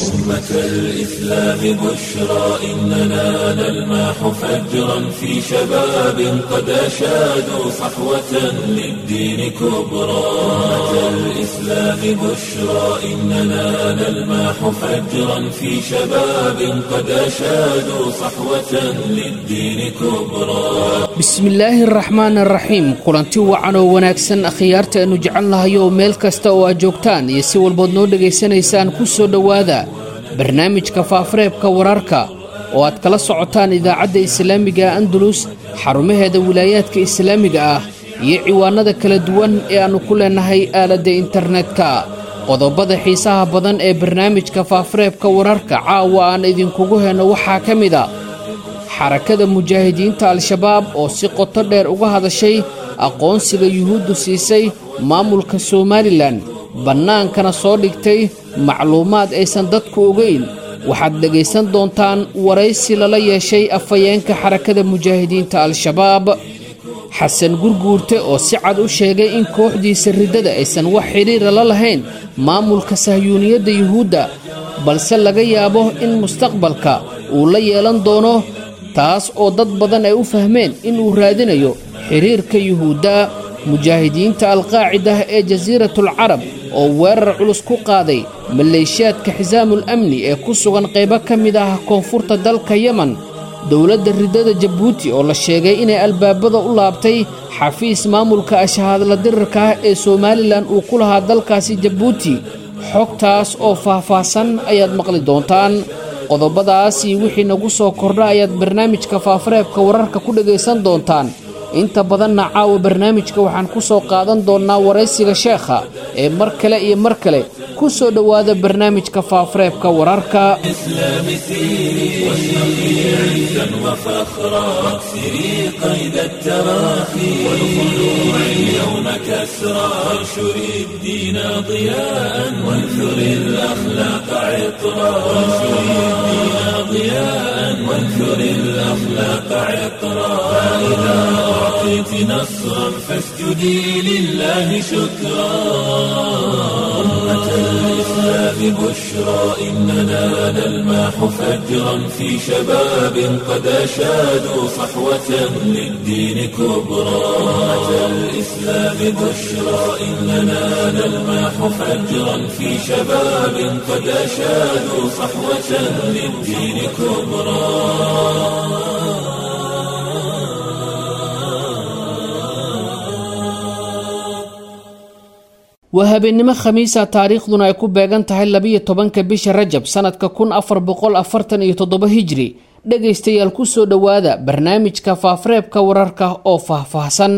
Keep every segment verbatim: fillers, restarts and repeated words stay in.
أمة الإسلام بشرى إننا نلمح فجرا في شباب قد أشادوا صحوة للدين كبرى. أمة الإسلام بشرى إننا نلمح فجرا في شباب قد أشادوا صحوة للدين كبرى. Bismillaahi araxmaan araxiim. Kulanti wacan oo wanaagsan akhyaarta aanu jecelnahay oo meel kasta oo aad joogtaan iyo si walbood noo dhegaysanaysaan, ku soo dhowaada barnaamijka faafareebka wararka oo aad kala socotaan idaacadda islaamiga Andalus, xarumaheeda wilaayaadka islaamiga ah iyo ciwaanada kala duwan ee aannu ku leenahay aaladda internetka. Qodobada xiisaha badan ee barnaamijka faafareebka wararka caawa aan idinkugu heyno waxaa ka mid a xarakada mujaahidiinta Al-Shabaab oo si qoto dheer uga hadashay aqoonsiga Yuhuuddu siisay maamulka Somalilan, bannaankana soo dhigtay macluumaad aysan dadku ogeyn. Waxaad dhegaysan doontaan waraysi lala yeeshay afhayeenka xarakada mujaahidiinta Al-Shabaab, Xasan Gurguurte, oo si cad u sheegay in kooxdiisa riddada aysan wax xidhiira la lahayn maamulka sahyuuniyadda Yuhuudda, balse laga yaabo in mustaqbalka uu la yeelan doono, taas oo dad badan ay u fahmeen inuu raadinayo xiriirka Yuhuudda. Mujaahidiinta Alqaacida ee Jasiiratul Carab oo weerar culus ku qaaday maleeshiyaadka Xisaamul Amni ee ku sugan qaybo ka mid ah koonfurta dalka Yemen. Dowladda riddada Jabuuti oo la sheegay inay albaabada u laabtay xafiis maamulka ashahaadla dirirka ah ee Somalilan uu ku lahaa dalkaasi Jabuuti. Xogtaas oo faahfaahsan ayaad maqli doontaan. Qodobadaas iyo wixii nagu soo kordha ayaad barnaamijka faafareebka wararka ku dhegaysan doontaan. Inta badanna caawa barnaamijka waxaan ku soo qaadan doonnaa waraysiga sheekha ee mar kale iyo mar kale ku soo dhowaada barnaamijka faafareebka wararka. الإسلام سيري واشرقي عزا وفخرا، واكسري قيد التراخي والخلوع اليوم كسرى، وانشري الدين ضياء وانثري الأخلاق عطرا، وانشري الدين ضياء وانثري الأخلاق عطرا. فإذا أعطيت نصرا فاسجدي لله شكرا. أمة الإسلام بشرى إننا نلمح فجرا في شباب قد أشادوا صحوة للدين كبرى. أمة الإسلام بشرى إننا نلمح فجرا في شباب قد أشادوا صحوة للدين كبرى. Waa habeennimo Khamiisa, taariikhduna ay ku beegan tahay labiyo tobanka bisha Rajab sanadka kun afar boqol afartan iyo toddoba Hijri. Dhegaystayaal, ku soo dhowaada barnaamijka faafareebka wararka oo faahfaahsan.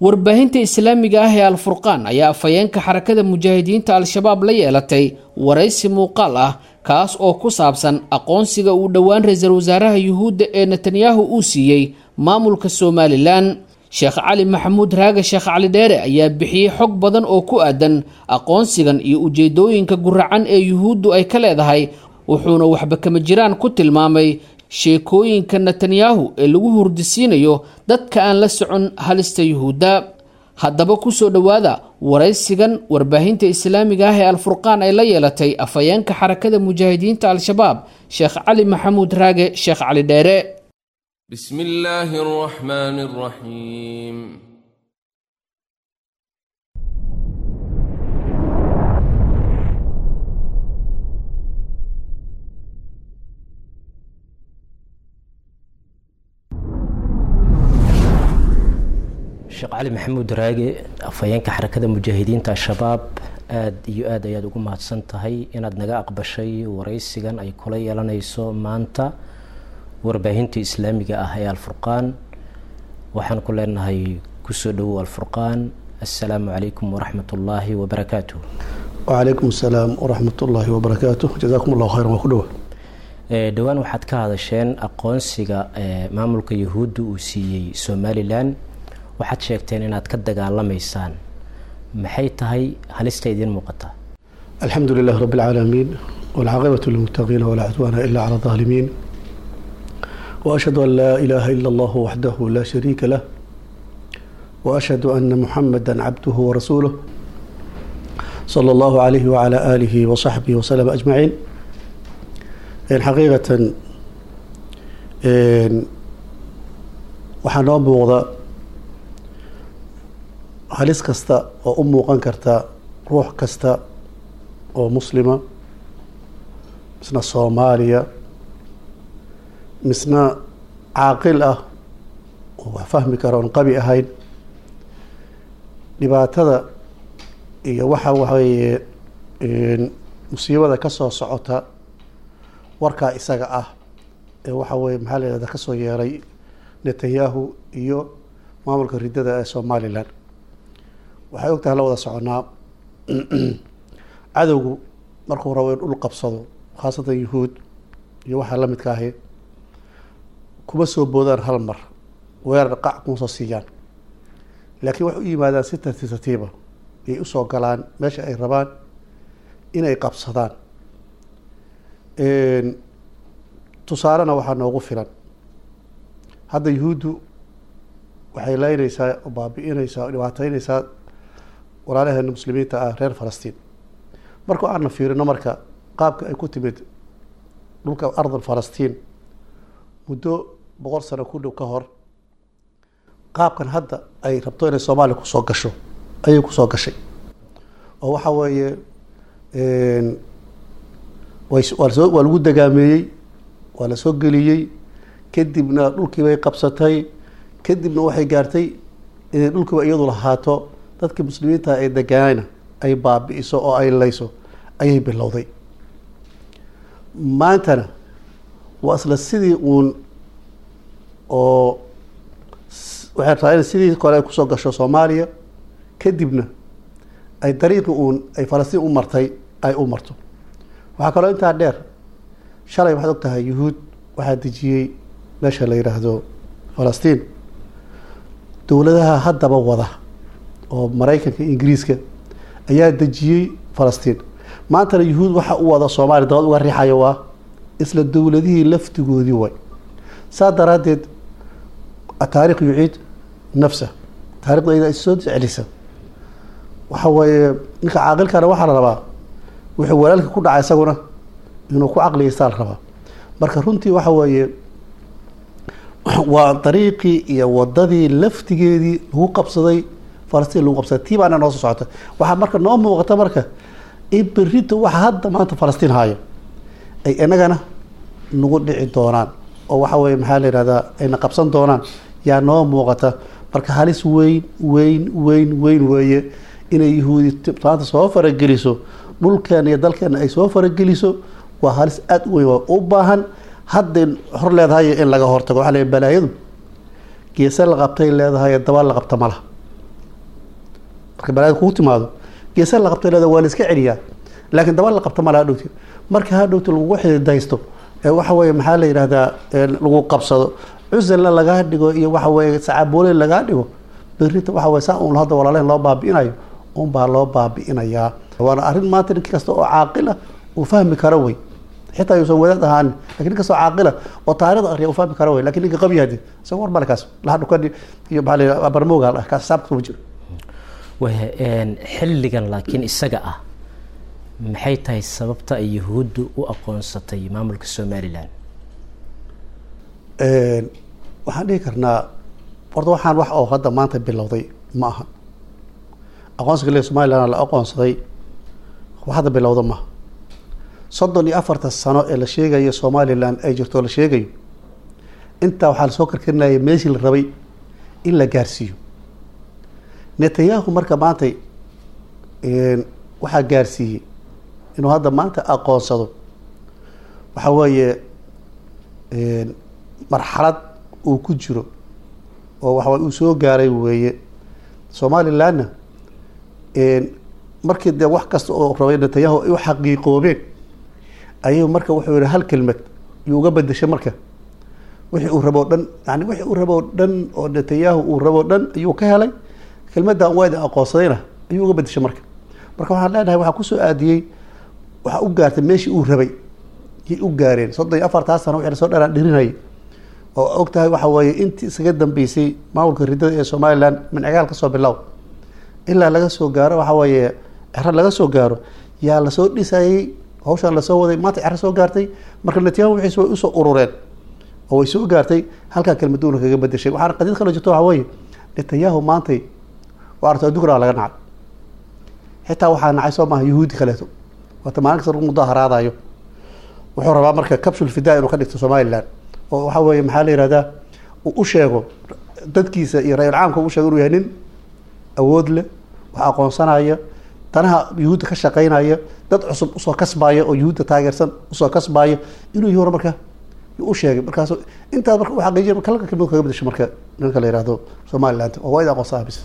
Warbaahinta islaamiga ah ee Alfurqaan ayaa afhayeenka xarakada mujaahidiinta Al-Shabaab la yeelatay waraysi muuqaal ah, kaas oo ku saabsan aqoonsiga uu dhowaan ra-iisul wasaaraha Yuhuudda ee Netanyahu uu siiyey maamulka Somalilan. Sheekh Cali Maxamuud Raage, Sheekh Cali Dheere, ayaa bixiyey xog badan oo ku aadan aqoonsigan iyo ujeedooyinka guracan ee Yuhuuddu ay ka leedahay, wuxuuna waxba kama jiraan ku tilmaamay sheekooyinka Netanyahu ee lagu hurdisiinayo dadka aan la socon halista Yuhuudda. Haddaba ku soo dhowaada waraysigan warbaahinta islaamiga ah ee Alfurqaan ay la yeelatay afhayeenka xarakada mujaahidiinta Al-Shabaab, Sheekh Cali Maxamuud Raage, Sheekh Cali Dheere. بسم الله الرحمن الرحيم. Sheekh Cali Maxamuud Raage, afhayeenka xarakada mujaahidiinta Al-Shabaab, aada iyo aad ayaad ugu mahadsan tahay inaad naga aqbashay waraysigan ay kula yeelanayso maanta warbaahinta islaamiga ah ee Alfurqaan. Waxaan ku leenahay kusoo dhowow Alfurqaan. Assalaamu calaykum waraxmat ullaahi wabarakaatuh. وعليكم السلام ورحمة الله وبركاته، جزاكم الله خيرا وكله. Dhowaan waxaad ka hadasheen aqoonsiga maamulka Yuhuudda uu siiyey Somalilan. Waxaad sheegteen inaad ka dagaalamaysaan. Maxay tahay halista idiin muuqata? الحمد لله رب العالمين، والعاقبة للمتقين، ولا عدوان إلا على الظالمين، وأشهد أن لا إله إلا الله وحده لا شريك له، وأشهد أن محمدا عبده ورسوله صلى الله عليه وعلى آله وصحبه وسلم أجمعين. حقيقة waxaa noo muuqda halis kasta oo u muuqan karta ruux kasta oo muslima, misna Soomaaliya, misna caaqil ah oo wax fahmi kara oon qabi ahayn, dhibaatada iyo waxa waxaweeye musiibada ka soo socota warkaa isaga ah ee waxa weeye maxaa la yidhahdaa kasoo yeeray Netanyahu iyo maamulka riddada ee Somaliland. Waxay ogtahay la wada soconaa cadowgu markuu rabo in dhul qabsado, khaasatan yuhuud iyo waxaa la midka ahi, kuma soo boodaan hal mar, weerar qac kuma soo siiyaan, laakiin waxay u yimaadaan si tartiib tartiiba ayay usoo galaan meesha ay rabaan inay qabsadaan. Tusaalena waxaa noogu filan hadda yuhuuddu waxay leynaysaa oo baabi'inaysaa oo dhibaateynaysaa walaalaheena muslimiinta ah reer Falastiin. Marka aana fiirino marka qaabka ay ku timid dhulka ardal Falastiin muddo boqol sano ku dhow ka hor, qaabkan hadda ay rabto inay Soomaaliya kusoo gasho ayay kusoo gashay, oo waxa weeye waa waa lagu dagaameeyey, waa lasoo geliyey, kadibna dhulkii bay qabsatay, kadibna waxay gaartay inay dhulkiiba iyadu lahaato, dadkii muslimiinta ay degaanayna ay baabi'iso oo ay layso ayay bilowday. Maantana waa isla sidii uun oo waxay rabtaa inay sidii kore ay kusoo gasho Soomaaliya, kadibna ay dariiqii uun ay Falastiin u martay ay u marto. Waxaa kaloo intaa dheer, shalay waxaad og tahay yuhuud waxaa dejiyey meesha la yidhaahdo Falastiin, dowladaha haddaba wada oo Maraykanka iyo Ingiriiska ayaa dejiyey Falastiin. Maantana yuhuud waxa u wada Soomaaliya dabad uga riixayo waa isla dowladihii laftigoodii way. Saa daraaddeed ataarikh yuciid nafsa, taarikhda iyada is soo celisa. Waxa weeye ninka caaqilkana waxaa la rabaa wuxuu walaalka ku dhacay isaguna inuu ku caqliyeystaa la rabaa. Marka runtii waxa weeye waa dariiqii iyo wadadii laftigeedii lagu qabsaday Falastiin, lagu qabsaday tii baana noo soo socota. Waxaa marka noo muuqata marka in berrito waxa hadda maanta Falastiin haayo ay inagana nagu dhici doonaan, oo waxa weeye maxaa la yidhahdaa ayna qabsan doonaan yaa noo muuqata. Marka halis weyn weyn weyn weyn weeye inay yuhuudi maanta soo farageliso dhulkeena iyo dalkeena ay soo farageliso, waa halis aada u weyn oo u baahan hadday hor leedahay in laga hortago. Waxaa la yidhi balaayadu geese la qabtay leedahay, daba la qabta ma laha. Marka balaayadu kugu timaado geese la qabtay leedahay, waa la iska celiyaa, laakiin daba la qabta ma laha hadhowti. Marka hadhowti lagugu xididaysto ee waxa weeye maxaa la yidhahdaa lagu qabsado, cusalna lagaa dhigo iyo waxa weeye sacaaboole lagaa dhigo, berrita waxa weye saa uun hadda walaalehen loo baabi'inayo unbaa loo baabi'inayaa. Waana arrin maanta nin kasta oo caaqil ah uu fahmi karo wey, xitaa yuusan wadaad ahaanin, lakin nin kastoo caaqila oo taarikhda akhriya uu fahmi karo wey. Lakin ninka qabi hadi isaga war male kaas laha dhukani iyo maxaa la yidhahdaa barmooga ah kaas xisaabta kuma jiro. Waya xilligan laakiin isaga ah maxay tahay sababta ay yuhuuddu u aqoonsatay maamulka Somaliland? Waxaan dhihi karnaa horta waxaan wax oo hadda maanta bilowday ma aha. Aqoonsiga le Somaliland la aqoonsaday wax hadda bilowda maaha. Soddon iyo afarta sano ee la sheegayo Somaliland ay jirto la sheegayo, intaa waxaa lasoo karkarinaya meeshii la rabay in la gaarsiiyo. Netanyahu marka maantay waxaa gaarsiiyey inuu hadda maanta aqoonsado waxa weeye marxalad uu ku jiro oo waxa uu soo gaaray weeye. Somalilandna markii dee wax kasta oo rabay Netanyahu ay u xaqiiqoobeen ayuu marka wuxuu yihi hal kelmad yuu uga bedeshay. Marka wixii uu rabo dhan, yani wixii uu rabo dhan oo Netanyahu uu rabo dhan ayuu ka helay, kelmaddan waa idin aqoonsadayna ayuu uga bedeshay. Marka marka waxaan leenahay waxaa kusoo aadiyey, waxaa u gaartay meeshii uu rabay yay u gaareen. Soddon iyo afartaa sano wixii lasoo dharaan dhirinayay oo og tahay waxa weeye intii isaga dambeysay maamulka riddada ee Somaliland min cigaal ka soo bilow ilaa laga soo gaaro waxa weeye Cero laga soo gaaro yaa lasoo dhisayay, hawshaan lasoo waday, maanta Cero soo gaartay. Marka Netanyahu wixiis way usoo urureen oo way soo gaartay halkaa kelmaduuna kaga bedeshay. Waxaana qadiyad kaloo jirto, waxa weeye Netanyahu maantay waa arto adduunkana waa laga nacay, xitaa waxaa nacay soo maaha yuhuudi kaleeto, waata maalin kasta lagu mudaharaadayo. Wuxuu rabaa marka kabshul fidaa inuu ka dhigto Somaliland, oo waxa weeye maxaa la yihahdaa uu u sheego dadkiisa iyo ra-iul caamka, u sheego inuu yahay nin awood leh, wax aqoonsanaya, danaha yuhuudda ka shaqeynaya, dad cusub usoo kasbaya oo yuhuudda taageersan usoo kasbaya inuu yahay marka u sheegay. Markaas intaas marka u xaqiijiya marka halka kelmad kaga bedesho marka ninka la yihahdo Somaliland oo waa id aqoonsanaa bis.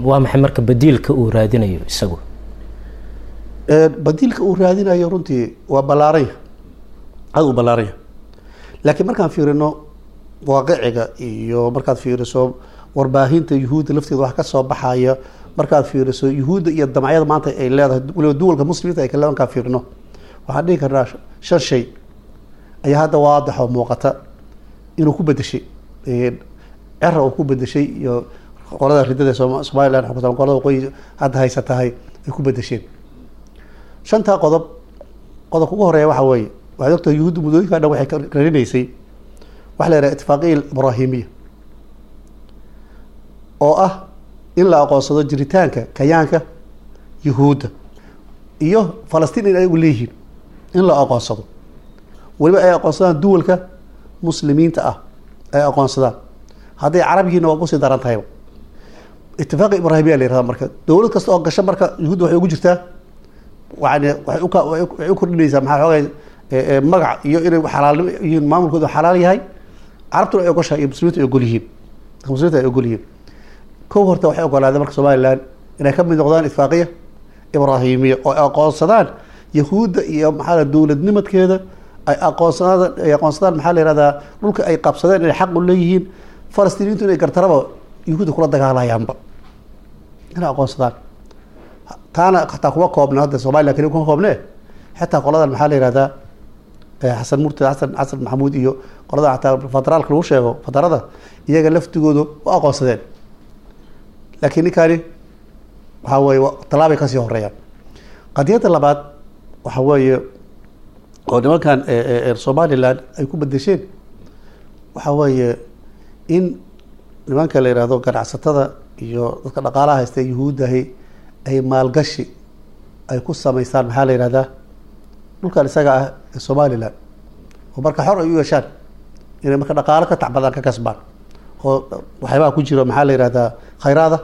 Waa maxay marka badiilka uu raadinayo isagu? Badiilka uu raadinayo runtii waa ballaaranya, aada u ballaaranya, laakiin markaan fiirino waaqiciga iyo markaad fiiriso warbaahinta yuhuudda lafteeda wax ka soo baxaya, markaad fiiriso yuhuudda iyo damacyada maanta ay leedahay, waliba duwalka muslimiinta ay kale, markaan fiirino waxaan dhihi karnaa shan shay ayaa hadda waadix oo muuqata inuu ku bedeshay Cera, uu ku bedeshay iyo qolada ridada Somaliland xukunta, qolada waqooyi hadda haysatahay ay ku bedesheen. Shantaa qodob, qodobka ugu horeeya waxa weeye, waxaad ogtahay yuhuudda muddooyinka dhan waxay karinaysay waxa la yidhaha ittifaaqiya ibraahimiya, oo ah in la aqoonsado jiritaanka kayaanka yuhuudda iyo Falastiin in ayagu leeyihiin, in la aqoonsado, weliba ay aqoonsadaan duwalka muslimiinta ah ay aqoonsadaan, hadday carab yihiinna waa kusii daran tahayba. Ittifaaqa ibraahimiya la yirahda. Marka dowlad kasta oo gasho marka yuhuudda waxay ugu jirtaa, yani waxay uka waxay u kordhinaysaa maxaa xoogay magac iyo inay xalaalnimo yihiin, maamulkoodu xalaal yahay, carabtuna ay ogoshahay iyo muslimiintu ay ogol yihiin, muslimiinta ay ogol yihiin. Kow horta waxay ogolaadeen marka Somaliland inay ka mid noqdaan ittifaaqiya ibraahimiya oo ay aqoonsadaan yahuudda iyo maxaa la dowladnimadkeeda, ay aqoonsadaan ay aqoonsadaan maxaa la yihahdaa dhulka ay qabsadeen inay xaq u leeyihiin, Falastiiniyiintu inay gartaraba yuhuudda kula dagaalayaanba inay aqoonsadaan. Taana xataa kuma koobna hadda Somaliland kaliya kuma koobne, xitaa qoladan maxaa la yihahdaa Xasan Murtad, Xasan Xasan Maxamuud iyo qoladan xataa federaalka lagu sheego, federada iyaga laftigoodu u aqoonsadeen, laakiin ninkaani waxaa weeye tallaabay kasii horeeyaan. Qadiyadda labaad waxa weeye oo nimankan Somaliland ay ku bedesheen waxa weeye in nimanka la yihahdo ganacsatada iyo dadka dhaqaalaha haysta yuhuuddahi ay maalgashi ay ku samaystaan maxaa la yihahdaa dhulkan isaga ah ee Somaliland, oo marka xor ay u yeeshaan inay marka dhaqaalo ka tacbadaan, ka kasbaan, oo waxyaabaha ku jiro maxaa la yihahdaa khayraada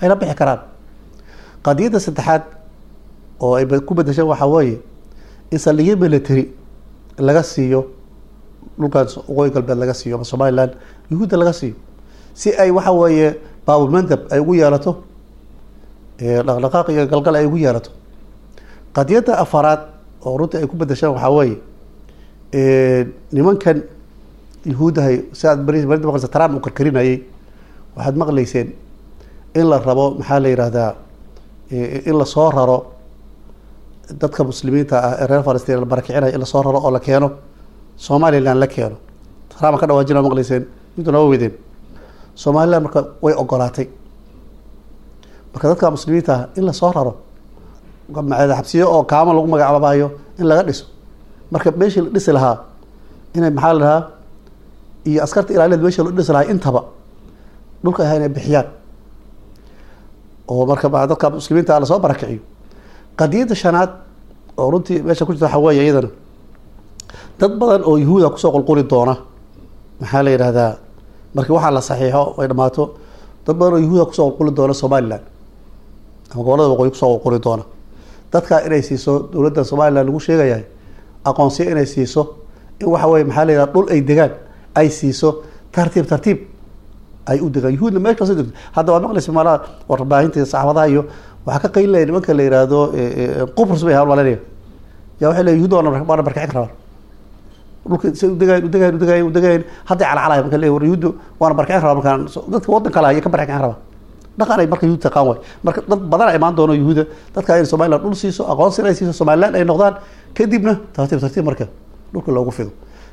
ayna bixi karaan. Qadiyadda saddexaad oo ay ku bedesheen waxaa weeye in saldhigyo military laga siiyo dhulkan waqooyi galbeed laga siiyo ama Somaliland yuhuudda laga siiyo, si ay waxa weeye baabulmandab ay ugu yeelato, dhaqdhaqaaq iyo galgal ay ugu yeelato. Qadiyadda afaraad oo runtii ay ku bedesheen waxaa weeye nimankan yuhuuddahay, si aad beri beri maqlaysa Trump uu karkarinayay, waxaad maqlayseen in la rabo maxaa la yihahdaa in lasoo raro dadka muslimiinta ah ee reer Falastiin la barakicinayo, in lasoo raro oo la keeno Somaliland la keeno. Trump ka dhawaajina maqlayseen, intu naba weydeen Somaliland marka way ogolaatay marka dadka muslimiinta ah in lasoo raro, xabsiyo oo kaama lagu magacaabayo in laga dhiso, marka meeshii la dhisi lahaa inay maxaa la dhahaa iyo askarta ilaaliyeed meeshii la dhisi lahaa intaba dhulka ahaa inay bixiyaan, oo marka dadka muslimiinta ah lasoo barakiciyo. Qadiyadda shanaad oo runtii meesha ku jirta waxaa weeye iyadana dad badan oo yuhuuda kusoo qulquli doona maxaa la yidhahdaa markii waxaa la saxiixo ay dhamaato, dad badan oo yuhuuda kusoo qulquli doona Somaliland ama gobolada waqooyi kusoo qulquli doona, dadka inay siiso dowladda Somaliland lagu sheegayahay aqoonsiyo inay siiso, in waxa weye maxaa la yidhahda dhul ay degaan ay siiso, tartiib tartiib ay u degaan. Yuhuudna meel kasta degto hadda waad maqlaysa malaha warbaahinta saxaafadaha iyo waxaa ka qaylinaya nimanka la yihahdo Qubrus bay hawlmalinaya, yaa waxay leeyihin yuhuudda waana waana barkicin rabaan dhulka say udegayen udegayen udegayen udegayen hadday calacalaya marka leeyihin war yuhuudda waana barkicin rabaa, markaan dadka waddan kale ayay ka barkicin rabaa, dhaqan ay marka yuhuud taqaan waay. Marka dad badan ay imaan doono yuhuuda, dadka in Somaliland dhul siiso, aqoonsi ay siiso, Somaliland ay noqdaan, kadibna tartiib tartiib marka dhulka loogu fido.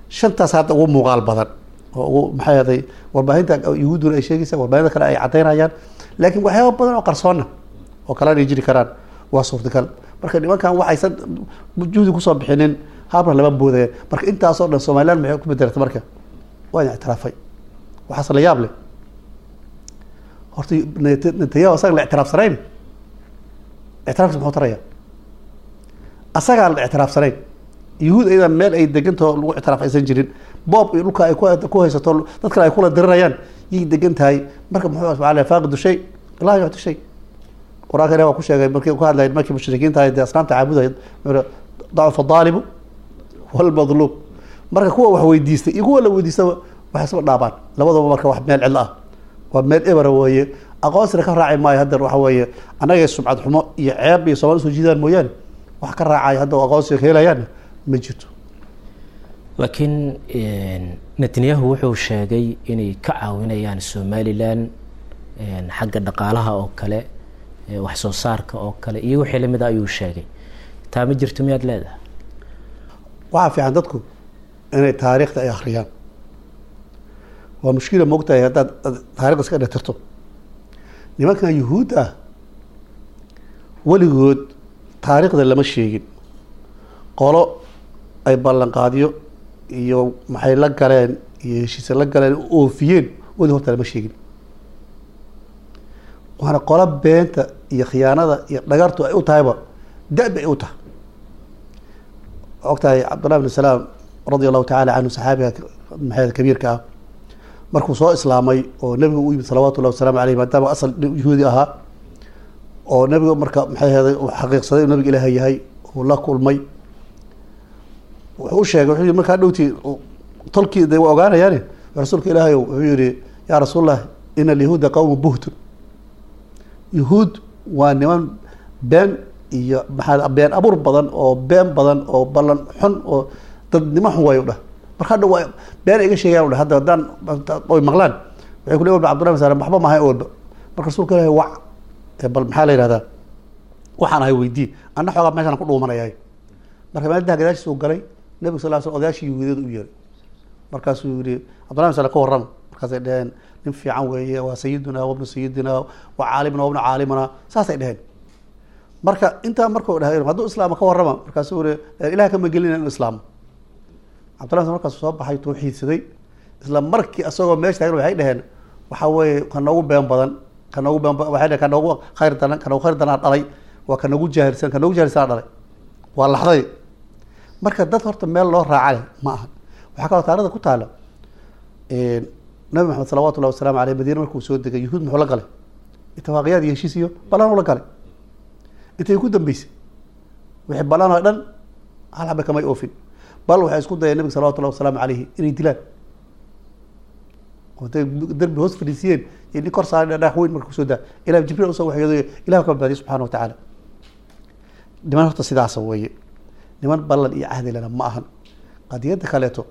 Shantaas hadda ugu muuqaal badan oo ugu maxay ahaday warbaahinta yuhuudduna ay sheegaysa, warbaahinta kale ay caddaynayaan, laakiin waxyaaba badan oo qarsoonna oo kalena ay jiri karaan Waa suurtagal. Marka nimankan waxaysan juhdi kusoo bixinin habra lama boodaya. Marka intaasoo dhan Somaliland maxay ku bedelatay? Marka waa in ictiraafay. Waxaase la yaab leh horta Netanyahu asaga la ictiraafsanayn, ictiraafkiisa muxuu taraya? Asagaa la ictiraafsanayn, yuhuud ayada meel ay degantaho lagu ictiraaf aysan jirin, boob iyo dhulka ay ku haysato dad kale ay kula dirirayaan yay degan tahay. Marka muxuu subxaa faaqidu shay laa yucti shay. Qur-aanka ilahi waa ku sheegay markii ku hadlay markii mushrikiinta ahayd dee asnaamta caabudaya, dacufa daalibu walmadluub. Marka kuwa wax weydiistay iyo kuwa la weydiistaba waxay isba dhaabaan labadaba. Marka wax meel cidlo ah waa meel ebera weeye, aqoonsina ka raaci maayo. Hadda waxa weeye annagay sumcad xumo iyo ceeb iyo Soomali usoo jiidaan mooyaane, wax ka raacaya hadda aqoonsiga ka helayaanna ma jirto. Laakiin Netanyahu wuxuu sheegay inay ka caawinayaan Somalilan xagga dhaqaalaha oo kale, wax soo saarka oo kale iyo wixii lamid a ayuu sheegay. Taa ma jirto miyaad leedahay? Waxaa fiican dadku inay taariikhda ay akhriyaan. Waa mushkila moogtahay haddaad taarikhda iska dhetirto. Nimankan yuhuud ah weligood taariikhda lama sheegin qolo ay ballanqaadyo iyo maxay la galeen iyo heshiise la galeen oofiyeen, weli horta lama sheegin. Waana qolo beenta iyo khiyaanada iyo dhagartu ay u tahayba da-ba ay u tahay. Og tahay Cabdullah bn Salaam radia allahu tacala canhu, saxaabiga maxay kabiirka ah, markuu soo islaamay oo nabigu u yimid salawatu llahi wasalaamu aleyh, maadaama asal yahuudi ahaa oo nabigu marka maxay heeday uu xaqiiqsaday inuu nabiga ilaahay yahay uu la kulmay, wuxuu u sheegay, wuxuu yihi markaa dhowtii tolkii de waa ogaanayaani rasuulka ilaahay, wuxuu yihi yaa rasuulallah, ina alyahuuda qawmu buhtun, yahuud waa niman been iyo maxaa been abuur badan oo been badan oo ballan xun oo dadnimo xun waayo dhah. Marka hadha waa been iga sheegayan dhah, hadda haddaan oy maqlaan waxay ku leeyihin walba Cabdullahi bin Salam waxba maahay walba. Marka rasuulka ilaahay wac bal maxaa la yihahdaa waxaan ahay weydii, anna xoogaa meeshaan ku dhuumanayaay. Marka maalintaa gadaashiis uu galay nabigu sal ll sl odayaashii yahuudiyada u yeeray, markaasuu yihi Cabdullahi bin Salam ka warrama. Markaasay dheheen nin fiican weeye, waa sayiduna wabnu sayidina wa caalimuna wabnu caalimuna, saasay dheheen. Marka intaa markuu dhahay hadduu islaamo ka warrama, markaasuu yihi ilaah kama gelina inuu islaamo. Cabdullah markaasuu soo baxay tawxiidsaday isla markii asagoo meesha taagan waxay dheheen waxaa weeye ka noogu been badan, ka noogu been waxay dheheen ka noogu khayr daran, ka noogu khayr daranaa dhalay, waa ka noogu jaahilsan, ka noogu jaahilsanaa dhalay, waa laxday. Marka dad horta meel loo raaca leh ma aha. Waxaa kaloo taarikhda ku taala Nabi Maxamed salawatu llahi wasalamu aleyh Madiine markuu soo degay yuhuud muxuu la galay ittifaaqiyaad iyo heshiis iyo ballan ula galay. Intay ku dambeysay wixii ballan oo dhan hal xaba kamay oofin, bal waxay isku dayeen nabiga salawatu llahi wasalaamu caleyhi inay dilaan oo intay derbi hoos fadhiisiyeen iyo nin kor saaray dhagax weyn marka kusoo daa ilah Jibriil usoo waxyooday, ilah ka badbaadiyay subxana wa tacaala. Niman horta sidaasa weeye, niman ballan iyo cahdi lena ma ahan. Qadiyadda kaleeto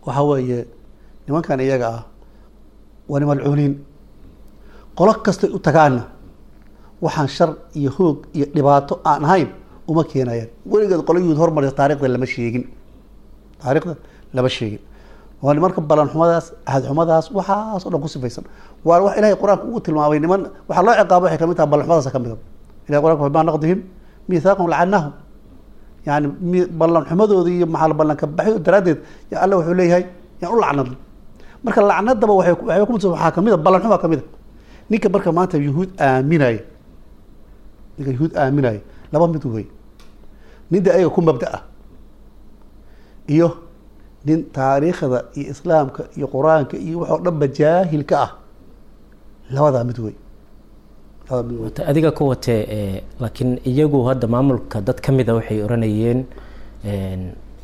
waxa weeye nimankan iyaga ah waa niman malcuuniin, qolo kastay u tagaanna waxaan shar iyo hoog iyo dhibaato aan ahayn uma keenayaan. Weligeed qolo yuhuud hormarisa taarikhda lama sheegin, taarikhda lama sheegin. Waa nimanka ballan xumadaas, ahad xumadaas, waxaas oo dhan ku sifaysan. Waa wax ilahay qur-aanka ugu tilmaamay niman waxaa loo ciqaabo waxay kamid tahay ballan xumadaas kamid a. Ilahay qur-anka bima naqdihim miithaaqahum lacannahum, yani ballan xumadooda iyo maxaa ballanka baxyo daraaddeed ya alla wuxuu leeyahay yaan u lacnadno. Marka lacnadaba waxay waxay ku waxaa kamid a ballan xumaa kamid a. Ninka marka maanta yuhuud aaminaya, ninka yuhuud aaminaya laba mid wey, ninda ayaga ku mabda ah iyo nin taariikhda iyo islaamka iyo qur-aanka iyo waxoo dhanba jaahilka ah, labadaa mid wey. Labadaa mid wey. Adiga ku watee, laakiin iyagu hadda maamulka dad ka mida waxay oranayeen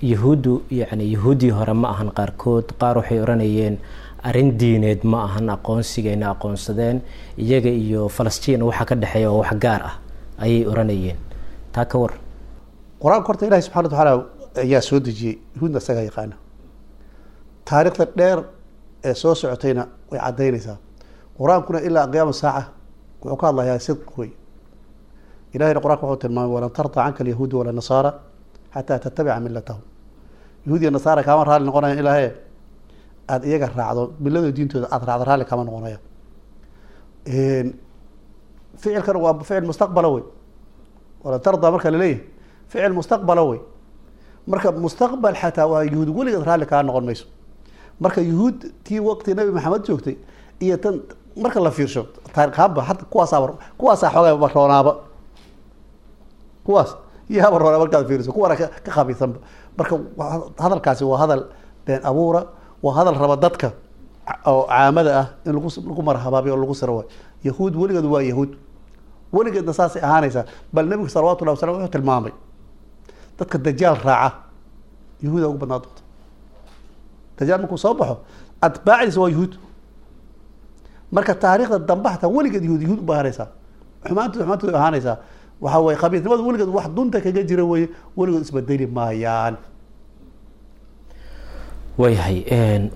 yahuuddu yani yahuuddii hore ma ahan, qaarkood qaar waxay oranayeen arrin diineed ma ahan aqoonsigayna aqoonsadeen, iyaga iyo Falastiin waxa ka dhexeeya oo wax gaar ah ayay oranayeen. Taa ka war. Qur-aanka horta ilahi subxana wa tacaala ayaa soo dejiyey, yuhuudna isagaa yaqaana. Taariikhda dheer ee soo socotayna way caddaynaysaa. Qur-aankuna ilaa qiyaama saaca wuxuu ka hadlayaa sidq wey. Ilahayna qur-anka wuxuu tilmaamay walan tarda canka alyahuudu wala nasaara xataa tattabica millatahum. Yahuud iyo nasaara kaama raalli noqonayan ilaahe aada iyaga raacdo miladooda diintooda aada raacdo, raalli kaama noqonaya. Ficilkan waa ficil mustaqbala wey. Walan tardaa marka laleeyahay ficil mustaqbala wey. Marka mustaqbal xataa waa yuhuud weligeed raalli kaa noqon mayso. Marka yuhuud tii waqti Nabi Maxamed joogtay iyo tan marka la fiirsho taariikhaanba hadda kuwaasaa kuwaasaa xoogaa roonaaba, kuwaas yaaba roonaa markaad fiiriso, kuwana ka khabiisanba. Marka hadalkaasi waa hadal been abuura, waa hadal raba dadka oo caamada ah in lagu lagu marhabaabiyo oo lagu siro waay. Yahuud weligeed waa yahuud, weligeedna saasay ahaanaysaa. Bal nabigu salawatullahi wasalam wuxuu tilmaamay dadka dajaal raaca yahuuda ugu badnaa doonta. Dajaal markuu soo baxo atbaacdiisa waa yahuud. Marka taariikhda dambe xataa weligeed yahuud yahuud uba ahaanaysaa, xumaantood xumaantood ahaanaysaa. Waxaa weye khabiisnimadu weligeed wax dunta kaga jira weye, weligood isbedeli maayaan. Waayahay,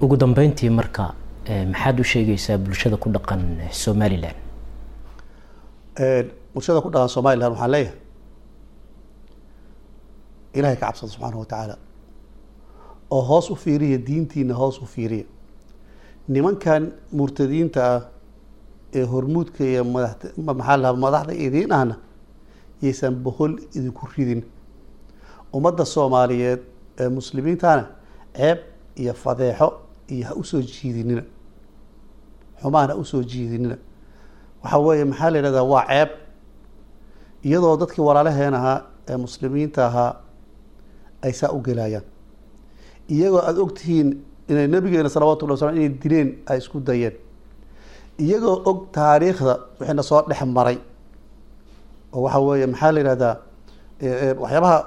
ugu dambeyntii marka maxaad u sheegaysaa bulshada ku dhaqan Somaliland? Bulshada ku dhaqan Somaliland waxaan leeyahay ilahay ka cabsada subxaanahu watacaala, oo hoos u fiiriya diintiina, hoos u fiiriya nimankan murtadiinta ah ee hormuudka iyo madax maxaa la madaxda idiin ahna yaysan bohol idinku ridin. Ummadda Soomaaliyeed ee muslimiintana ceeb iyo fadeexo iyo ha usoo jiidinina, xumaan ha usoo jiidinina. Waxaa weeye maxaa la yidhahdaa waa ceeb, iyadoo dadkii walaalaheen ahaa ee muslimiinta ahaa ay saa u gelayaan, iyagoo aada ogtihiin inay nabigeena salawatullahi waslam inay dileen ay isku dayeen, iyagoo og taariikhda wixiina soo dhex maray. Oo waxaa weeye maxaa la yidhahdaa waxyaabaha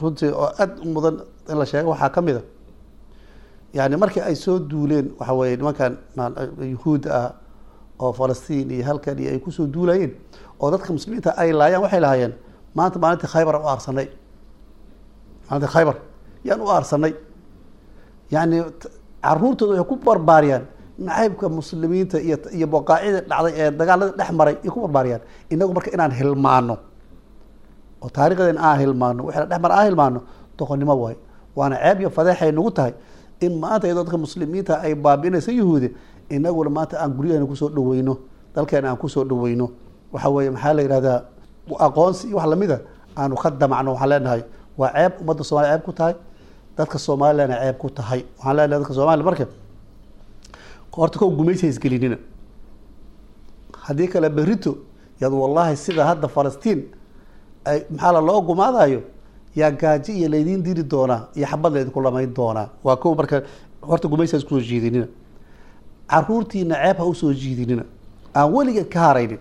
runtii oo aada u mudan in la sheego waxaa ka mid a, yani markii ay soo duuleen waxa weeye nimankan yuhuudda ah oo Falastiin iyo halkan iyo ay kusoo duulayeen oo dadka muslimiinta ay laayaan, waxay lahaayeen maanta maalintii Khaybar u aarsanay, maalintii Khaybar yaan u aarsanay. Yani caruurtooda waxay ku barbaariyaan nacaybka muslimiinta iyo iyo boqaacida dhacday ee dagaalada dhex maray iyo ku barbaariyaan. Inagu marka inaan hilmaano oo taariikhdeena aan hilmaano, wixii la dhex maray aan hilmaano, doqonnimo waayo, waana ceeb iyo fadeexay nagu tahay in maanta iyadoo dadka muslimiinta ay baabi'inaysa yuhuudi, inaguna maanta aan guryaheena kusoo dhaweyno, dalkeena aan kusoo dhaweyno. Waxa weeye maxaa la yidhahdaa aqoonsi iyo wax lamida aanu ka damacno. Waxaan leenahay waa ceeb ummadda Soomaliya ceeb ku tahay, dadka Soomalilandna ceeb ku tahay. Waxaan leenahay dadka Soomaaliya marka horta kow gumaysi ha isgelinina, haddii kale berrito yaad wallahi sida hadda Falastiin ay maxaa la loo gumaadayo yaa gaajo iyo laydiin diri doonaa iyo xabad laydinku lamayn doonaa. Waa kow, marka horta gumaysi ha isku soo jiidinina, caruurtiina ceeb ha usoo jiidinina aan weligeed ka haraynin.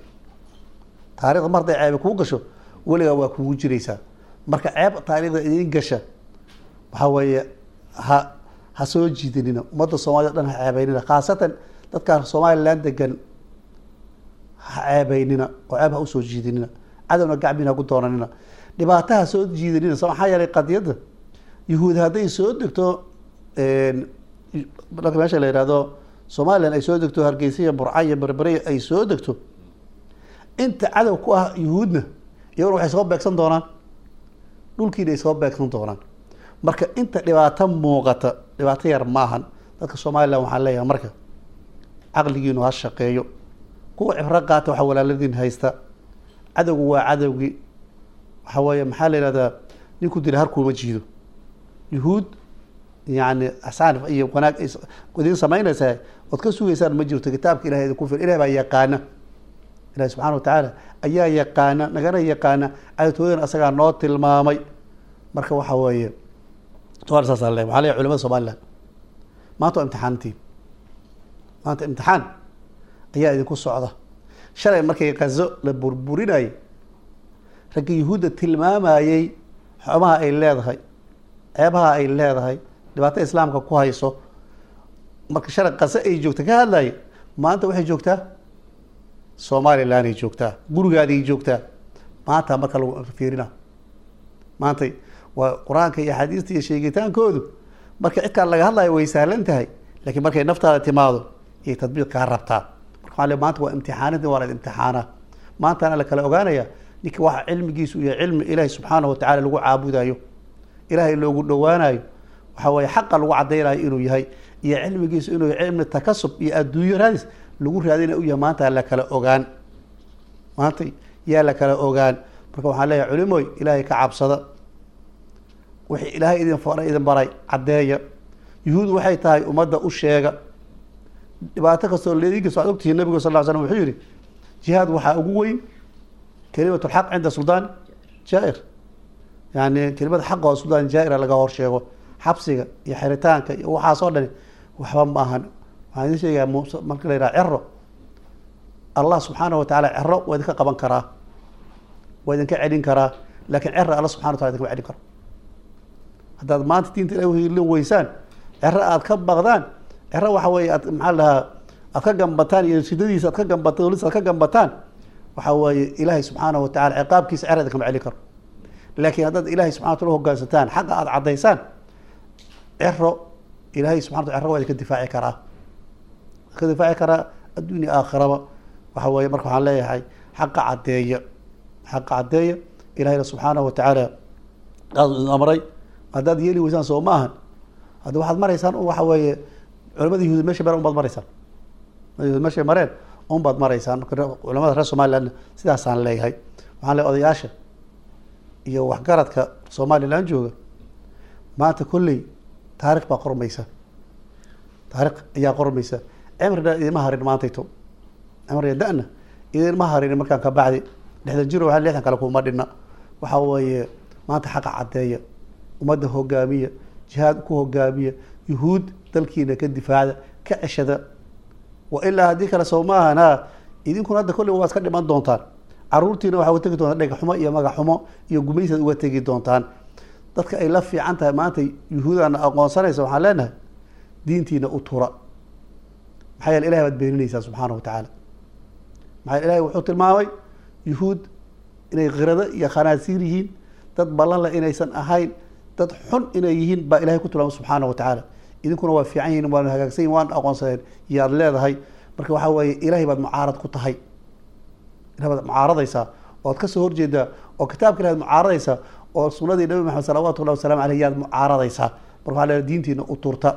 Taarikhda mar hadday ceebe kuu gasho weligaa waa kugu jiraysaa. Marka ceeb taariikhda idiin gasha waxaa weeye ha ha soo jiidinina, ummadda Soomaliya o dhan ha ceebeynina, khaasatan dadkaan Somaliland degan ha ceebeynina oo ceeb ha usoo jiidinina, cadowna gacmiina haku doonanina, dhibaato ha soo jiidinina. So maxaa yeelay qadiyadda yuhuud hadday soo degto marka meesha la yihahdo Somaliland ay soo degto, Hargeysa iyo Burca iyo Berbere ay soo degto, inta cadow ku ah yuhuudna iyaguna waxay soo beegsan doonaan dhulkiina ay soo beegsan doonaan. Marka inta dhibaato muuqata dhibaato yar maahan. Dadka Somaliland waxaan leeyahay marka caqligiinu ha shaqeeyo, kuwa cibro qaata waxaa walaaladiin haysta. Cadowgu waa cadowgii, waxaa weeye maxaa la yihahdaa ninku dila harkuuma jiido. Yuhuud yani axsaan iyo wanaag idiin samaynaysaa ood ka sugaysaan ma jirto. Kitaabka ilahay idinku fil, ilahay baa yaqaana, ilahi subxana watacaala ayaa yaqaana, nagana yaqaana, cadowtooyadana asagaa noo tilmaamay. Marka waxa weeye somalia saas le waxaa leeyahay culimada Somaliland maanta waa imtixaantiin, maanta imtixaan ayaa idinku socda. Shalay markay Gazo la burburinayay ragga yuhuudda tilmaamayey xumaha ay leedahay, ceebaha ay leedahay, dhibaato islaamka ku hayso, marka shalay Gazo ay joogta ka hadlayay, maanta waxay joogtaa Somaliland ay joogtaa, gurigaaday joogtaa. Maanta marka lagu fiirina maanta waa qur-aanka iyo axaadiista iyo sheegitaankoodu marka cidkaan laga hadlayo way sahlan tahay, laakiin markay naftaada timaado iyay tadbiiq kaa rabtaa. Marka waxaa le maanta waa imtixaaninta, waa la imtixaanaa. Maantaana la kala ogaanaya ninka waxa cilmigiisu iyo cilmi ilaahi subxaanahu watacala lagu caabudayo, ilaahay loogu dhowaanayo, waxaa weeye xaqa lagu caddaynayo inuu yahay, iyo cilmigiisu inuu yahay cilmi takasub iyo adduunyo raadis lagu raadinaya u yahay. Maanta la kala ogaan, maanta yaa la kala ogaan. Marka waxaan leeyahay culimoy, ilaahay ka cabsada, wixii ilaahay idin faray idin baray caddeeya. Yuhuud waxay tahay ummadda u sheega dhibaato kastoo leedinkiisa. Waxaad ogtihiin nabigu sal lla ly slam wuxuu yidhi jihaad waxaa ugu weyn kelimatu lxaq cinda suldaan jaa-ir, yani kelimada xaqa oo suldaan jaa-ira laga hor sheego. Xabsiga iyo xiritaanka iyo waxaas oo dhani waxba ma ahan. Waxaan idin sheegayaa marka la yidhaha cero, Allah subxaanahu watacaala cero waa idinka qaban karaa, waa idinka celin karaa, laakiin cero alla subxana watala idinkama celin karo. Haddaad maanta diinta ilahi uhiilin weysaan, cero aad ka baqdaan, cero waxa weeye aad maxaa la dhahaa aad ka gambataan iyo sidadiisa aad ka gambataan, dowladiisa aad ka gambataan, waxa weeye ilaahay subxaanahu watacala ciqaabkiisa cero idinkama celin karo. Laakiin haddaad ilahay subxana watala uhogaansataan, xaqa aad caddaysaan, cero ilaahay subxana watala cero waa idinka difaaci karaa, idinka difaaci karaa adduunya aakhiraba. Waxa weeye marka waxaan leeyahay xaqa caddeeya, xaqa caddeeya. Ilahayna subxaanahu watacaala aad idin amray, haddaad yeeli weysaan soo ma ahan, hadda waxaad maraysaan un waxa weeye culamada yahuud meeshay mareen unbaad maraysaan, yahuud meeshay mareen unbaad maraysaan. Marka culamada reer Somaliland sidaasaan leeyahay. Waxaan leeyahay odayaasha iyo waxgaradka Somaliland jooga, maanta kolley taarikh baa qormaysa, taarikh ayaa qormaysa. Cimrina idinma harin maantayto, cimriga da-na idinma harin. Markaan ka bacdi lixdan jiro, waxaa lixdan kale kuma dhinna. Waxa weeye maanta xaqa caddeeya, ummadda hogaamiya, jihaad ku hogaamiya, yuhuud dalkiina ka difaacda, ka ceshada. Wa ilaa haddii kale soo maahan ha idinkuna hadda kolley waa iska dhiman doontaan, caruurtiina waxaa uga tegi doontaan dhega xumo iyo magac xumo iyo gumaysaad uga tegi doontaan. Dadka ay la fiican tahay maanta yuhuudana aqoonsanaysa, waxaan leenahay diintiina u tura. Maxaa yeele ilahay baad beeninaysaa subxaanahu watacaala. Maxaa yeele ilahay wuxuu tilmaamay yuhuud inay khirado iyo khanaasiir yihiin, dad ballan leh inaysan ahayn, dad xun inay yihiin baa ilahay ku tilmaamay subxaanahu watacaala. Idinkuna waa fiican yihiin, waana hagaagsan yihin, waana aqoonsadeen yaad leedahay. Marka waxaa weeye ilahay baad mucaarad ku tahay, ilahay baad mucaaradaysaa ood kasoo horjeedaa, oo kitaabka ilahay baad mucaaradaysaa, oo sunadii nabi Maxamed salawatullahi wasalamu aleyh yaad mucaaradaysaa. Marka waxaa leedahay diintiina u turta.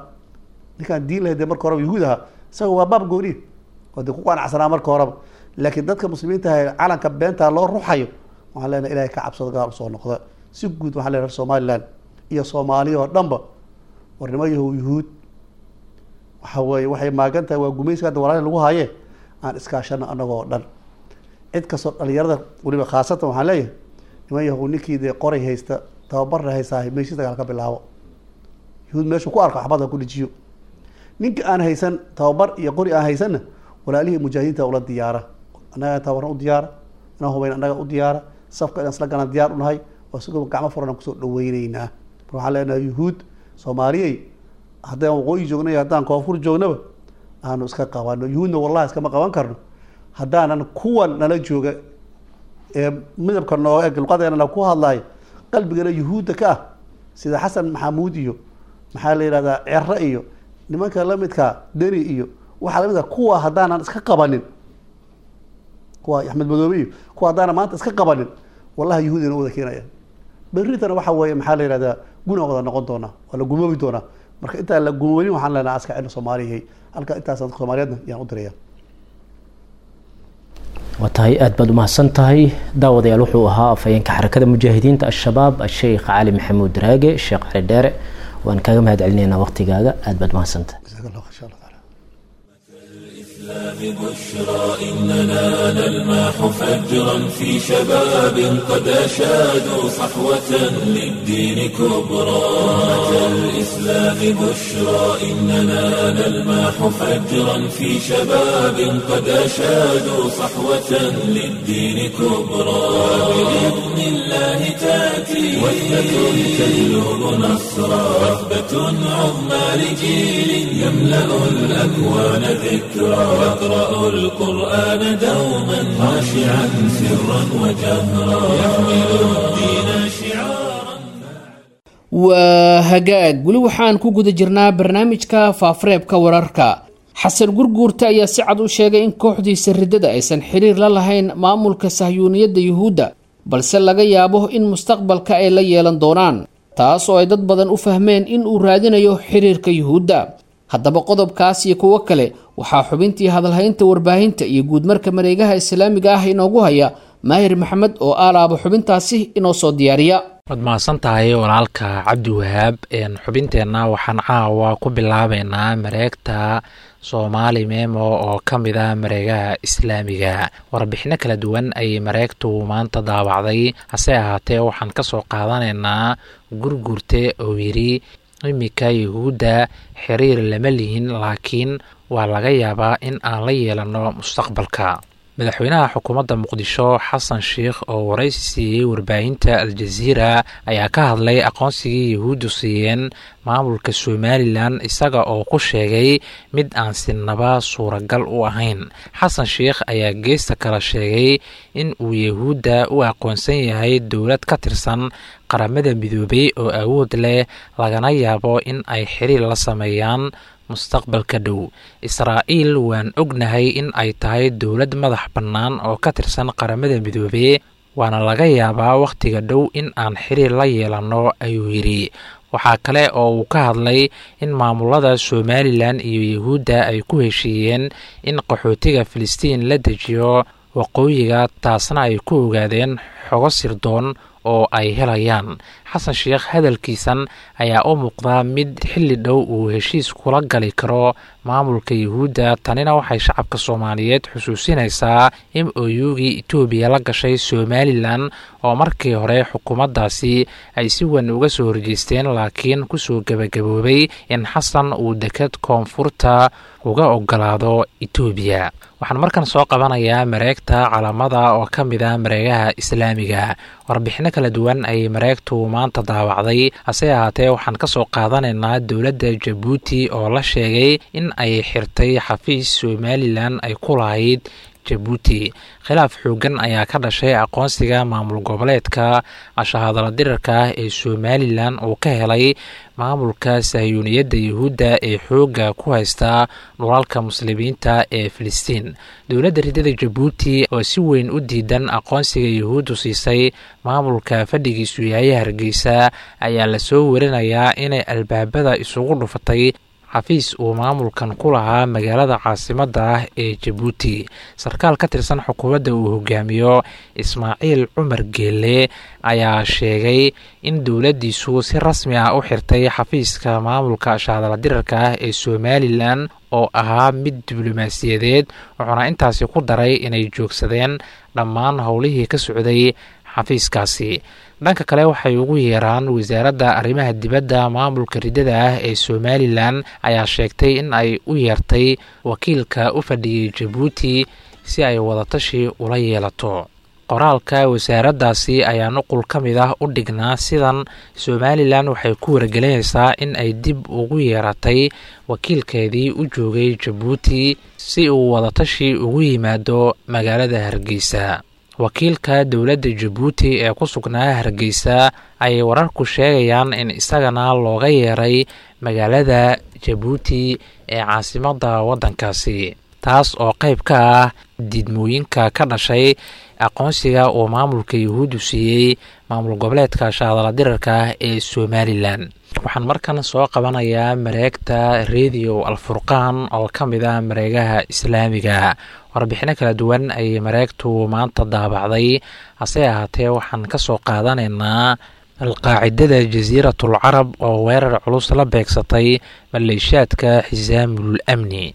Ninkaan diin lahayd dee marka horeba yuhuud ahaa, isaga waa baab gooniya oo dee ku qanacsanaa marka horeba. Laakiin dadka muslimiinta ah calanka beentaa loo ruxayo, waxaan leenahay ilahay ka cabsado, gadaal usoo noqda. Si guud waxaan leenahay reer Somaliland iyo Soomaaliya oo dhanba, warnimo yahow yuhuud waxa weeye waxay maagan tahay waa gumaysiga hadda walaali lagu haye, aan iskaashano annagoo dhan. Cid kastoo dhalinyarada weliba khaasatan waxaan leeyahay niman yahow, ninkii dee qoray haysta, tababarna haystaa, meeshii dagaal ka bilaabo, yuhuud meeshuu ku arko xabadda ku dhejiyo. Ninka aan haysan tababar iyo qori aan haysanna, walaalihii mujaahidiinta ula diyaara, annaga tababarna u diyaara, inaan hubayn annaga u diyaara, safka inaan isla galaan diyaar u nahay, oo isagoo gacmo furan aan kusoo dhaweyneynaa. Marka waxaan leenahay yuhuud Soomaaliyey, haddaan waqooyi joogno iyo haddaan koonfur joognaba aanu iska qabano. Yuhuudna wallahi iskama qaban karno haddaanan kuwan nala jooga ee midabka nooga eg, luqadeenana ku hadlayo, qalbigana yuhuudda ka ah, sida Xasan Maxamuud iyo maxaa la yidhahdaa Cero iyo nimanka lamidkaa Deni iyo waxaa lamidka kuwa, haddaanan iska qabanin kuwa Axmed Madoobe iyo kuwa, haddaanan maanta iska qabanin, wallahi yuhuudina wada keenaya. Berritana waxa weeye maxaa la yidhahdaa guna wada noqon doonaa, waa la gumoobi doonaa. Marka intaan la gumoobin waxaan leenahay aska cilmi Soomaaliyay halka intaas dadka Soomaaliyeedna yaan u diraya. Waa tahay, aada baad umahadsan tahay. Daawadayaal, wuxuu ahaa afhayeenka Xarakada Mujaahidiinta Al-Shabaab, Asheikh Cali Maxamuud Raage, Sheekh Cali Dheere. Waan kaaga mahad celinaynaa waqtigaaga, aada baad umahadsantahay. Jazaak Allah insha Allah taala. بشرى إننا نلمح فجرا في شباب قد أشادوا صحوة للدين كبرى. أمة الإسلام بشرى إننا نلمح فجرا في شباب قد أشادوا صحوة للدين كبرى. بإذن الله تأتي وثبة تجلب نصرا، وثبة عظمى لجيل يملأ الأكوان ذكرى، يقرأ القرآن دوما خاشعا سرا وجهرا يحمل الدين شعارا. Waa hagaag, weli waxaan ku guda jirnaa barnaamijka faafareebka wararka. Xasan Gurguurta ayaa si cad u sheegay in kooxdiisa riddada aysan xiriir la lahayn maamulka sahyuuniyadda yuhuudda, balse laga yaabo in mustaqbalka ay la yeelan doonaan, taas oo ay dad badan u fahmeen in uu raadinayo xiriirka yuhuudda. Haddaba qodobkaas iyo kuwo kale waxaa xubintii hadalhaynta warbaahinta iyo guudmarka mareegaha islaamiga ah inoogu haya Maahir Maxamed oo aalaaba xubintaasi inoo soo diyaariya. Waad mahadsan tahay walaalka Cabdiwahaab. Xubinteenna waxaan caawa ku bilaabeynaa mareegta Soomaali Memo oo ka mid ah mareegaha islaamiga. Warbixino kala duwan ayay mareegtu maanta daawacday, hase ahaatee waxaan kasoo qaadanaynaa Gurgurte oo yidhi iminka Yuhuudda xiriir lama lihin, laakiin waa laga yaabaa in aan la yeelano mustaqbalka. Madaxweynaha xukuumadda Muqdisho Xasan Sheikh oo waraysi siiyey warbaahinta Al-Jaziira ayaa ka hadlay aqoonsigii Yuhuuddu siiyeen maamulka Somalilan, isaga oo ku sheegay mid aan sinaba suuragal u ahayn. Xasan Sheikh ayaa geesta kale sheegay in uu Yuhuudda u aqoonsan yahay dowlad ka tirsan Qaramada Midoobay oo awood leh, lagana yaabo in ay xiriir la sameeyaan mustaqbalka dhow. Israa'iil waan ognahay in ay tahay dowlad madax bannaan oo ka tirsan Qaramada Midoobey, waana laga yaabaa wakhtiga dhow in aan xiriir la yeelanno, ayuu yidhi. Waxaa kale oo uu ka hadlay in maamulada Somalilan iyo Yuhuudda ay ku heshiiyeen in qaxootiga Filistiin la dejiyo waqooyiga, taasna ay ku ogaadeen xogo sirdoon oo ay helayaan. Xasan Sheikh hadalkiisan ayaa u muuqdaa mid xilli dhow uu heshiis kula gali karo maamulka Yuhuudda. Tanina waxay shacabka Soomaaliyeed xusuusinaysaa M O U-gii Itoobiya la gashay Somalilan oo markii hore xukuumaddaasi ay si weyn uga soo horjeesteen, laakiin kusoo gebagaboobay in Xasan uu deked koonfurta uga ogolaado Itoobiya. Waxaan markan soo qabanayaa mareegta Calaamada oo ka mid ah mareegaha islaamiga. Warbixino kala duwan ayay mareegtu maanta daawacday, hase ahaatee waxaan kasoo qaadanaynaa dowladda Jabuuti oo la sheegay in ay xirtay xafiis Somalilan ay ku lahayd Jabuuti. Khilaaf xoogan ayaa ka dhashay aqoonsiga maamul goboleedka ashahadala dirarka ah ee Somalilan uu ka helay maamulka sahyuuniyadda Yuhuudda ee xoogga ku haysta dhulalka muslimiinta ee Filistiin. Dowladda ridada Jabuuti oo si weyn u diidan aqoonsiga Yuhuuddu siisay maamulka fadhigiisu yahay Hargeysa ayaa lasoo warinayaa inay albaabada isugu dhufatay xafiis uu maamulkan ku lahaa magaalada caasimadda ah ee Jabuuti. Sarkaal ka tirsan xukuumadda uu hogaamiyo Ismaaciil Cumar Geele ayaa sheegay in dowladdiisu si rasmi ah u xirtay xafiiska maamulka ashahadala dirarka ah ee Somalilan oo ahaa mid diblomaasiyadeed, wuxuuna intaasi ku daray inay joogsadeen dhammaan howlihii ka socday xafiiskaasi. Dhanka kale waxay ugu yeeraan wasaaradda arrimaha dibadda maamulka ridada ah ee Somalilan ayaa sheegtay in ay u yeertay wakiilka u fadhiyey Jabuuti si ay wadatashi ula yeelato. Qoraalka wasaaraddaasi ayaa nuqul ka mid ah u dhignaa sidan: Somalilan waxay ku wargelinaysaa in ay dib ugu yeeratay wakiilkeedii u joogay Jabuuti si uu wadatashi ugu yimaado magaalada Hargeysa. Wakiilka dowladda Jabuuti ee ku sugnaa Hargeysa ayay wararku sheegayaan in isagana looga yeeray magaalada Jabuuti ee caasimadda waddankaasi, taas oo qayb ka ah diidmooyinka ka dhashay aqoonsiga uu maamulka Yuhuuddu siiyey maamul goboleedka shahadala dirarka ah ee Somalilan. Waxaan markan soo qabanayaa mareegta Radio Alfurqaan oo ka mid ah mareegaha islaamiga. Warbixino kala duwan ayay mareegtu maanta daabacday, hase ahaatee waxaan kasoo qaadanaynaa alqaacidada Jasiiratul Carab oo weerar culus la beegsatay maleeshiyaadka Xisaamul Amni.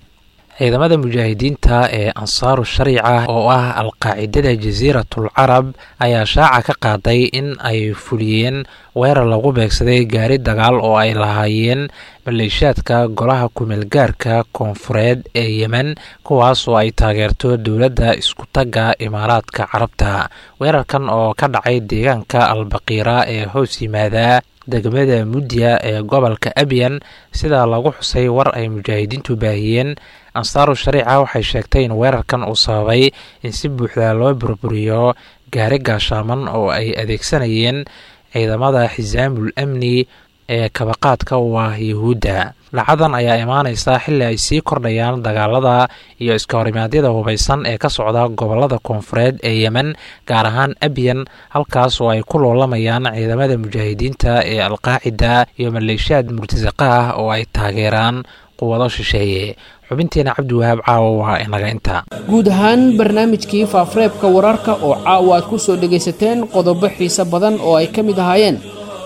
Ciidamada mujaahidiinta ee Ansaaru Shariica oo ah alqaacidada Jasiiratul Carab ayaa shaaca ka qaaday in ay fuliyeen weerar lagu beegsaday gaari dagaal oo ay lahaayeen maleeshiyaadka golaha kumeelgaarka koonfureed ee Yemen, kuwaas oo ay taageerto dowladda iskutagga Imaaraadka Carabta. Weerarkan oo ka dhacay deegaanka Albaqiira ee hoos yimaada degmada Mudya ee gobolka Abyan, sida lagu xusay war ay mujaahidiintu baahiyeen, Ansaaru Shariica waxay sheegtay in weerarkan uu sababay in si buuxda loo burburiyo gaari gaashaaman oo ay adeegsanayeen ciidamada Xisaamul Amni ee kabaqaadka u ah Yuhuudda. Dhacadan ayaa imaaneysa xilli ay sii kordhayaan dagaalada iyo iska horimaadyada hubaysan ee ka socda gobolada koonfureed ee Yemen, gaar ahaan Abyan, halkaas oo ay ku loolamayaan ciidamada mujaahidiinta ee alqaacida iyo maleeshiyaad murtasaqa ah oo ay taageeraan Quwado shisheeye. Xubinteena Cabdiwahaab caawa waa inaga inta. Guud ahaan barnaamijkii Faafareebka Wararka oo caawa aad ku soo dhegaysateen qodobo xiise badan oo ay ka mid ahaayeen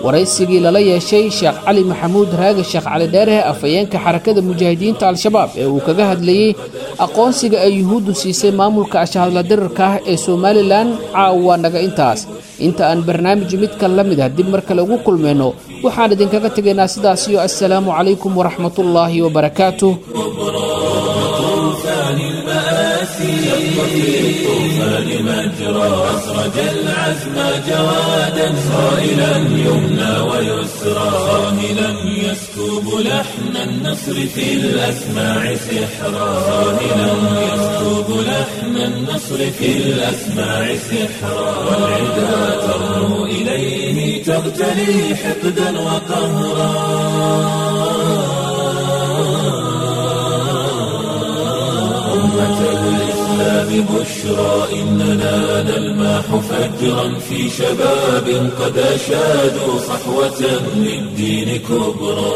waraysigii lala yeeshay Sheekh Cali Maxamuud Raage, Sheekh Cali Dheere, afhayeenka Xarakada Mujaahidiinta Al-Shabaab, ee uu kaga hadlayey aqoonsiga ay Yuhuuddu siisay maamulka ashahadla dirirka ah ee Somalilan, caawa naga intaas. Inta aan barnaamij midka la mid ah dib mar kale ugu kulmayno, waxaan idinkaga tegaynaa sidaas iyo assalaamu calaykum waraxmatullaahi wabarakaatuh. طوفان المآسي شق في الطوفان مجرى، أسرج العزم جوادا صائلا يمنى ويسرى، صاهلا يسكب لحن النصر في الأسماع سحرا، صاهلا يسكب لحن النصر في الأسماع سحرا، والعدا ترنو إليه تغتلي حقدا وقهرا. أمة الإسلام بشرى إننا نلمح فجرا في شباب قد أشادوا صحوة للدين كبرى.